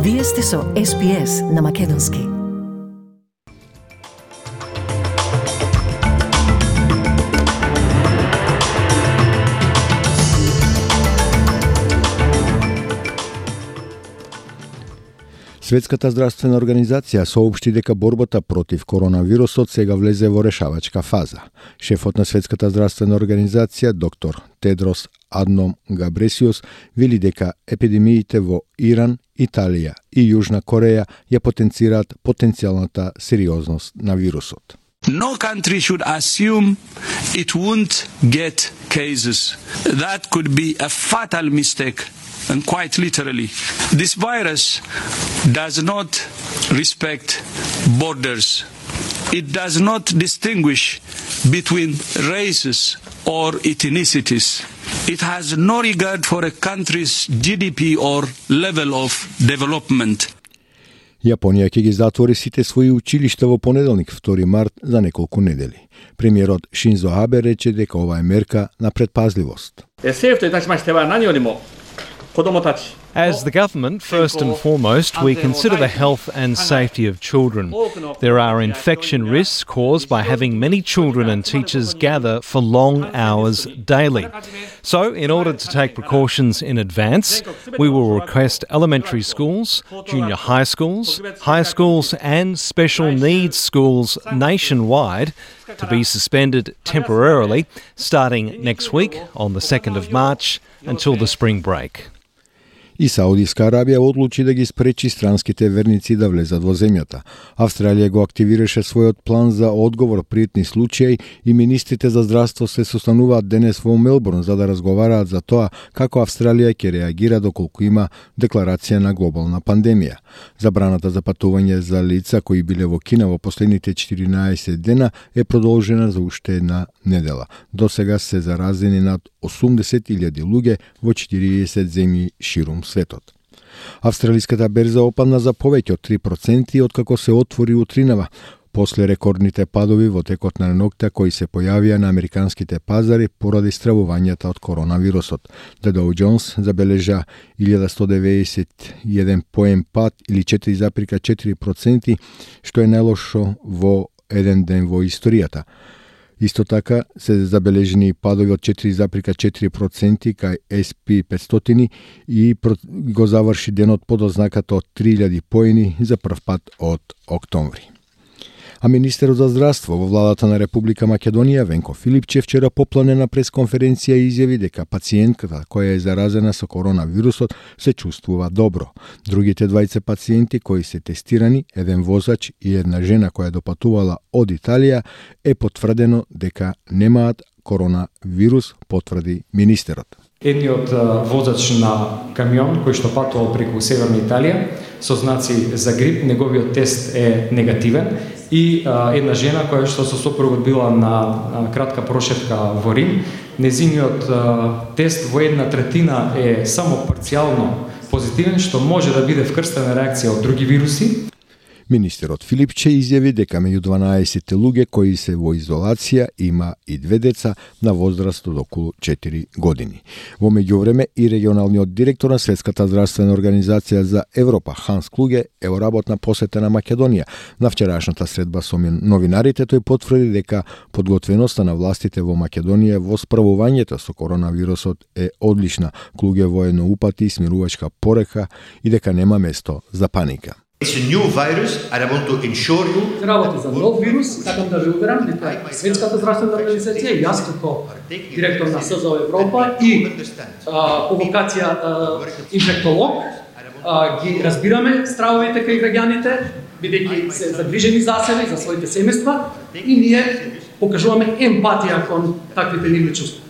Вие сте со SPS на Македонски. Светската здравствена организација соопшти дека борбата против коронавирусот сега влезе во решавачка фаза. Шефот на Светската здравствена организација, доктор Тедрос Адном Габресиус, вели дека епидемиите во Иран, Италија и Јужна Кореја ја потенцираат потенцијалната сериозност на вирусот. No country should assume it won't get cases. That could be a fatal mistake. And quite literally, this virus does not respect borders. It does not distinguish between races or ethnicities. It has no regard for a country's GDP or level of development. Јапонија ќе ги затвори сите своји училишта во понеделник, 2 март, за неколку недели. Премиерот Шинзо Абе рече дека ова е мерка на предпазливост. As the government, first and foremost, we consider the health and safety of children. There are infection risks caused by having many children and teachers gather for long hours daily. So, in order to take precautions in advance, we will request elementary schools, junior high schools and special needs schools nationwide to be suspended temporarily starting next week on the 2nd of March until the spring break. И Саудиска Арабија одлучи да ги спречи странските верници да влезат во земјата. Австралија го активираше својот план за одговор при етни случаи и министрите за здравство се состануваат денес во Мелбурн за да разговараат за тоа како Австралија ќе реагира доколку има декларација на глобална пандемија. Забраната за патување за лица кои биле во Кина во последните 14 дена е продолжена за уште една недела. До сега се заразени над 80.000 луѓе во 40 земји ширум светот. Австралиската берза опадна за повеќе од 3% откако се отвори утринава, после рекордните падови во текот на ноќта кои се појавија на американските пазари поради стравувањата од коронавирусот. The Dow Jones забележа 1191 поен пад или 4,4%, што е најлошо во еден ден во историјата. Исто така се забележени падови од 4,4% кај SP 500 и го заврши денот под ознаката од 3000 поени за прв пат од октомври. А министерот за здравство во владата на Република Македонија Венко Филипче вчера по планена пресконференција изјави дека пациентката која е заразена со коронавирусот се чувствува добро. Другите двајца пациенти кои се тестирани, еден возач и една жена која допатувала од Италија, е потврдено дека немаат коронавирус, потврди министерот. Едниот возач на камион кој што патувал преку Северна Италија со знаци за грип, неговиот тест е негативен и една жена која што со сопругот била на кратка прошетка во Рим, незиниот тест во 1/3 е само парцијално позитивен, што може да биде вкрстена реакција од други вируси. Министерот Филипче изјави дека меѓу 12 луѓе кои се во изолација има и 2 деца на возраст од околу 4 години. Во меѓувреме и регионалниот директор на Светската здравствена организација за Европа Ханс Клуге е во работна посета на Македонија. На вчерашната средба со новинарите тој потврди дека подготвеноста на властите во Македонија во справувањето со коронавирусот е одлична. Клуге воено упати смирувачка порека и дека нема место за паника. It's a new virus and I want to ensure you. Работи за нов вирус, сакам да ве уверам дека Светската здравствена организација, јас како директор на СЗО Европа и по вокација инфектолог ги разбираме стравовите кај граѓаните, бидејќи се загрижени за себе и за своите семејства и ние покажуваме емпатија кон таквите нивни чувства.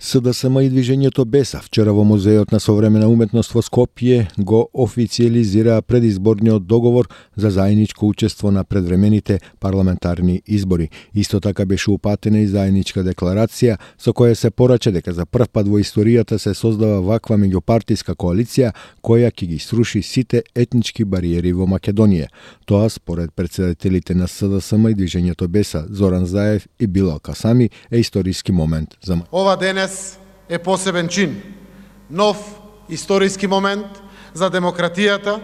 СДСМ и движењето Беса вчера во Музеот на современа уметност во Скопје го официјализира предизборниот договор за заедничко учество на предвремените парламентарни избори. Исто така беше упатена и заедничка декларација со која се порача дека за прв пат во историјата се создава ваква меѓупартиска коалиција која ќе ги сруши сите етнички бариери во Македонија. Тоа според претседателите на СДСМ и движењето Беса Зоран Заев и Билал Касами е историски момент за Ова денес е посебен чин, нов историски момент за демократијата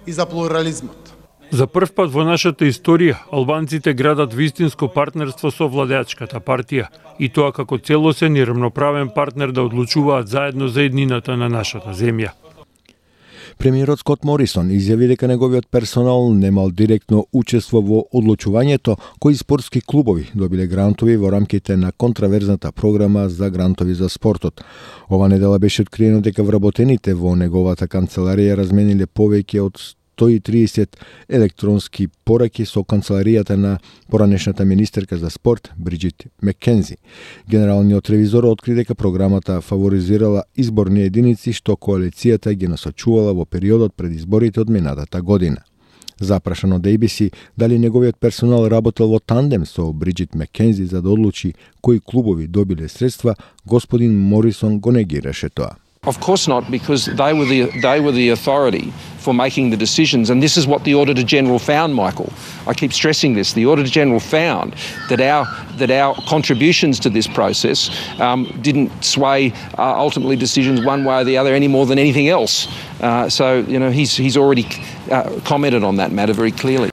и за плурализмот. За прв пат во нашата историја, албанците градат вистинско партнерство со владеачката партија, и тоа како целосен и рамноправен партнер да одлучуваат заедно за еднината на нашата земја. Премиерот Скот Морисон изјави дека неговиот персонал немал директно учество во одлучувањето кои спортски клубови добиле грантови во рамките на контраверзната програма за грантови за спортот. Ова недела беше откриено дека вработените во неговата канцеларија размениле повеќе од 130 електронски пораки со канцеларијата на поранешната министерка за спорт Бриджит Маккензи. Генералниот ревизор откри дека програмата фаворизирала изборни единици што коалицијата ги насочувала во периодот пред изборите од минатата година. Запрашан од ABC дали неговиот персонал работел во тандем со Бриджит Маккензи за да одлучи кои клубови добиле средства, господин Морисон го негираше тоа. Of course not, because they were the authority for making the decisions, and this is what the Auditor General found, Michael. I keep stressing this. The Auditor General found that our contributions to this process didn't sway ultimately decisions one way or the other any more than anything else. So he's already commented on that matter very clearly.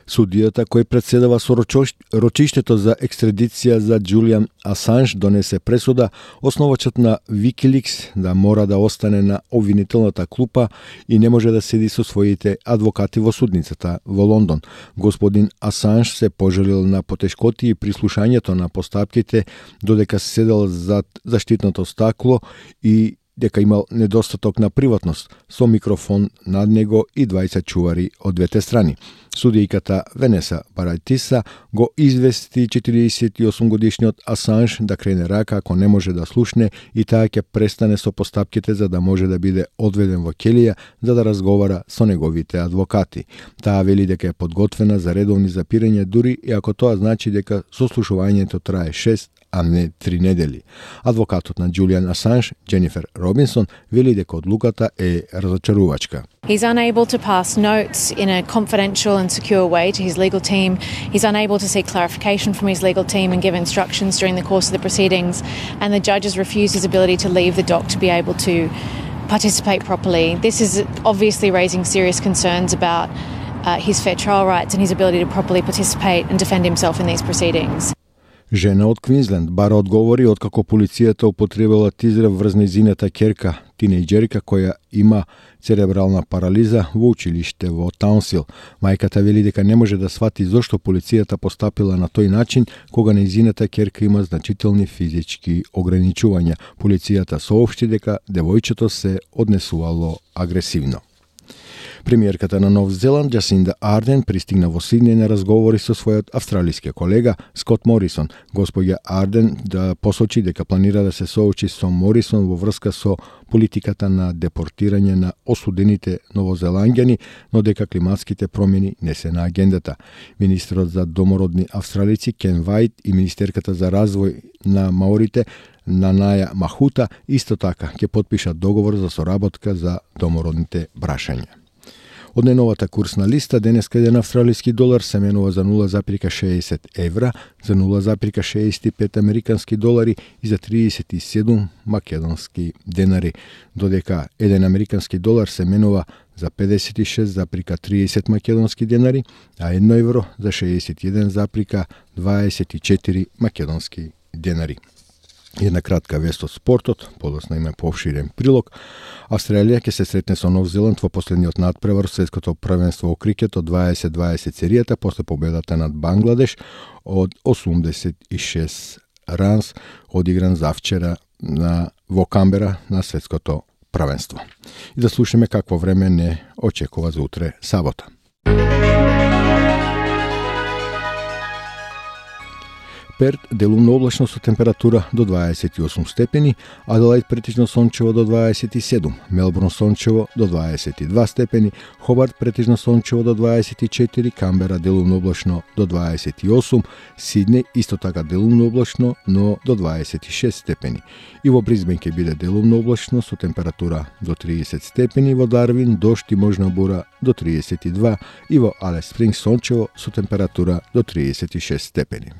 Судијата кој председава со рочиштето за екстрадиција за Џулијан Асанж донесе пресуда основачот на Wikileaks да мора да остане на обвинителната клупа и не може да седи со своите адвокати во судницата во Лондон. Господин Асанж се пожалил на потешкоти при слушањето на постапките додека седел зад заштитното стакло и дека имал недостаток на приватност со микрофон над него и 20 чувари од двете страни. Судијката Венеса Баратиса го извести 48 годишниот Асанж да крене рака ако не може да слушне и таа ќе престане со постапките за да може да биде одведен во келија за да разговара со неговите адвокати. Таа вели дека е подготвена за редовни запирања дури и ако тоа значи дека сослушувањето трае 6 а не 3 недели. Адвокатот на Џулијан Асанж, Дженифер Робинсон, вели дека одлуката е разочарувачка. He's unable to pass notes in a confidential and secure way to his legal team. He's unable to seek clarification from his legal team and give instructions during the course of the proceedings. And the judge has refused his ability to leave the dock to be able to participate properly. This is obviously raising serious concerns about his fair trial rights and his ability to properly participate and defend himself in these proceedings. Жена од Квинсленд бара одговори откако полицијата употребила тизер врз нејзината ќерка, тинејџерка која има церебрална парализа во училиште во Таунсил. Мајката вели дека не може да свати зошто полицијата постапила на тој начин кога нејзината ќерка има значителни физички ограничувања. Полицијата соопшти дека девојчето се однесувало агресивно. Премиерката на Нов Зеланд, Джасинда Арден, пристигна во Сиднеј на разговори со својот австралиски колега Скот Морисон. Господја Арден да посочи дека планира да се соочи со Морисон во врска со политиката на депортирање на осудените новозеланѓани, но дека климатските промени не се на агендата. Министерот за домородни австралици Кен Вајт и министерката за развој на маорите Нанаја Махута исто така ќе потпишат договор за соработка за домородните брашања. Од најновата курсна листа, денеска еден австралиски долар се менува за 0,60 евра, за 0,65 американски долари и за 37 македонски денари, додека еден американски долар се менува за 56,30 македонски денари, а 1 евро за 61,24 македонски денари. Една кратка вест од спортот, подоцна има поопширен прилог. Австралија ќе се сретне со Нов Зеланд во последниот надпревар светското првенство во крикет од 2020 серијата после победата над Бангладеш од 86 ранс одигран завчера во Камбера на светското првенство. И да слушаме какво време не очекува за утре сабота. Перт делумно облачно со температура до 28 степени, Аделаид претежно сончево до 27, Мелбурн сончево до 22 степени, Хобарт претежно сончево до 24, Камбера делумно облачно до 28, Сиднеј исто така делумно облачно, но до 26 степени. И во Бризбен ќе биде делумно облачно со температура до 30 степени, во Дарвин дожд и можна бура до 32 и во Алис Спрингс сончево со температура до 36 степени.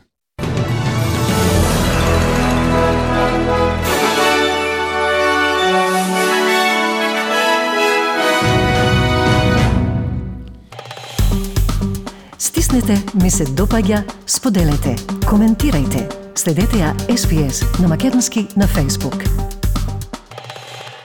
натиснете ми се допаѓа, споделете, коментирајте. Следете ја SPS на Македонски на Facebook.